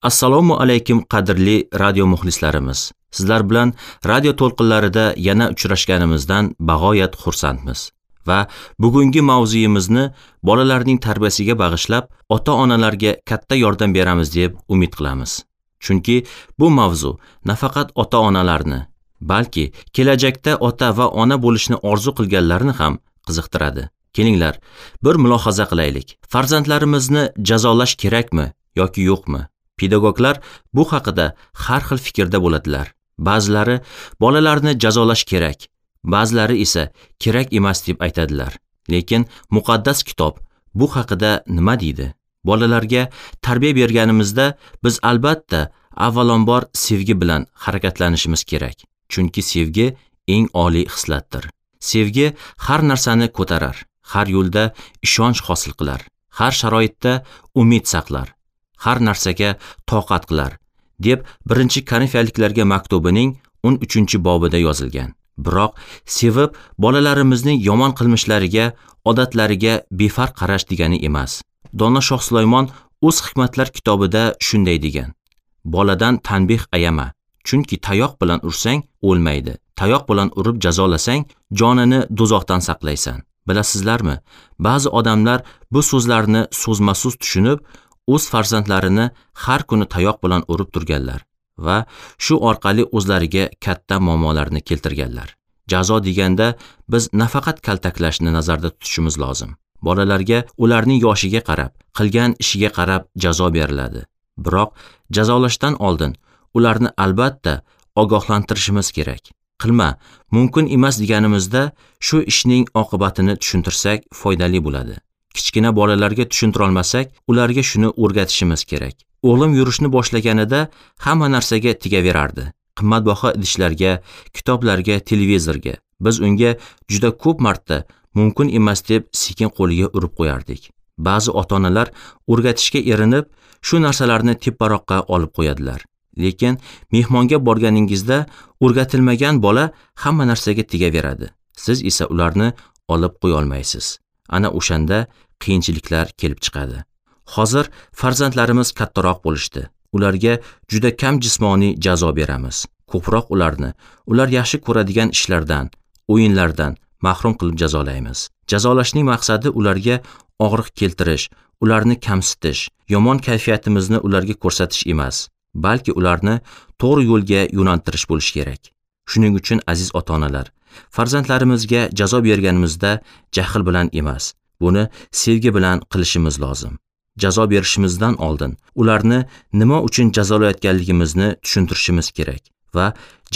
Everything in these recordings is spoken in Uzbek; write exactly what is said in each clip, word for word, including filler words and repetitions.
Assalomu alaykum qadrli radio muxlislarimiz. Sizlar bilan radio to'lqinlarida yana uchrashganimizdan bag'oyat xursandmiz. Va bugungi mavzuyimizni bolalarning tarbiyasiga bag'ishlab, ota-onalarga katta yordam beramiz deb umid qilamiz. Chunki bu mavzu nafaqat ota-onalarni, balki kelajakda ota va ona bo'lishni orzu qilganlarni ham qiziqtiradi. Kelinglar, bir mulohaza qilaylik. Farzandlarimizni jazolash kerakmi yoki yo'qmi? Pedagoglar bu haqida har xil fikrda bo'ladilar. Ba'zilari bolalarni jazolash kerak, ba'zilari esa kerak emas deb aytadilar. Lekin muqaddas kitob bu haqida nima deydi? Bolalarga tarbiya berganimizda biz albatta avvalambor sevgi bilan harakatlanishimiz kerak. Chunki sevgi eng oliy xislatdir. Sevgi har narsani ko'tarar, har yo'lda ishonch hosil qilar, har sharoitda umid saqlar, har narsaga toqat qilar, deb birinchi Korinfiyaliklarga maktubining o'n uchinchi bobida yozilgan. Biroq sevib bolalarimizning yomon qilmishlariga, odatlariga befarq qarash degani emas. Dono Shoh Sulaymon o'z hikmatlar kitobida shunday degan: Boladan tanbeh ayama, chunki tayoq bilan ursang o'lmaydi. Tayoq bilan urib jazolasang, jonini do'zaxdan saqlaysan. Bilasizlarmi, ba'zi odamlar bu so'zlarni so'zma-so'z tushunib, o'z farzandlarini har kuni tayoq bilan urib turganlar va shu orqali o'zlariga katta muammolarni keltirganlar. Jazo deganda biz nafaqat kaltaklashni nazarda tutishimiz lozim. Bolalarga ularning yoshiga qarab, qilgan ishiga qarab jazo beriladi. Biroq jazolashdan oldin ularni albatta ogohlantirishimiz kerak. Qilma, mumkin emas deganimizda shu ishning oqibatini tushuntirsak foydali bo'ladi. Kichkina bolalarga tushuntira olmasak, ularga shuni o'rgatishimiz kerak. O'g'lim yurishni boshlaganida hamma narsaga tegaverardi. Qimmatbaho idishlarga, kitoblarga, televizorga. Biz unga juda ko'p marta mumkin emas deb sekin qo'liga urib qo'yardik. Ba'zi ota-onalar o'rgatishga erinib, shu narsalarni teparoqqa olib qo'yadilar. Lekin mehmonga borganingizda o'rgatilmagan bola hamma narsaga tegaveradi. Siz esa ularni olib qo'ya olmaysiz. Ana o'shanda qiyinchiliklar kelib chiqadi. Hozir farzandlarimiz kattaroq bo'lishdi. Ularga juda kam jismoniy jazo beramiz. Ko'proq ularni ular yaxshi ko'radigan ishlardan, o'yinlardan mahrum qilib jazolaymiz. Jazolashning maqsadi ularga og'riq keltirish, ularni kamsitish, yomon kayfiyatimizni ularga ko'rsatish emas, balki ularni to'g'ri yo'lga yo'naltirish bo'lishi kerak. Shuning uchun aziz ota-onalar, farzandlarimizga jazo berganimizda jahl bilan emas, buni sevgi bilan qilishimiz lozim. Jazo berishimizdan oldin ularni nima uchun jazolayotganligimizni tushuntirishimiz kerak va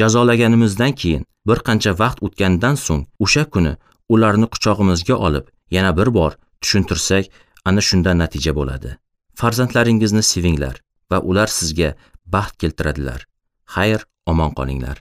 jazolaganimizdan keyin bir qancha vaqt o'tgandan so'ng o'sha kuni ularni quchog'imizga olib yana bir bor tushuntirsak, ana shunda natija bo'ladi. Farzandlaringizni sevinglar va ular sizga baxt keltiradilar. Xayr, omon qolinglar.